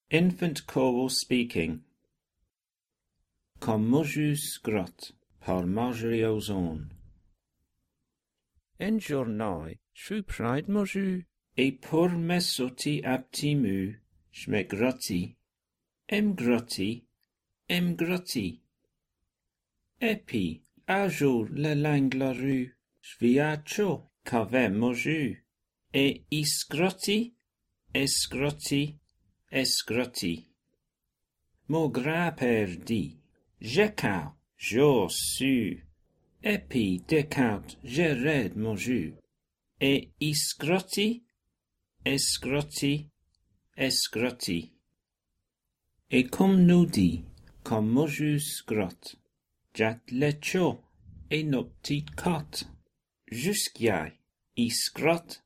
Infant choral speaking. Comme Mojus Grot, par Marjorie Ozone. En journée, shrew pride moju. E pour mesoti aptimu, shme grotti. Em grotti. Epi, à jour le langue la rue, sviacho, cave moju. E isgrotti, esgrotti. Mon grand-père dit, j'écoute, je su. Epi découte, je red mon jus. Et esgrotti. Et comme nous dit, comme mojus grot, jat lecho, et nos petites cotes, jusqu'à esgrot.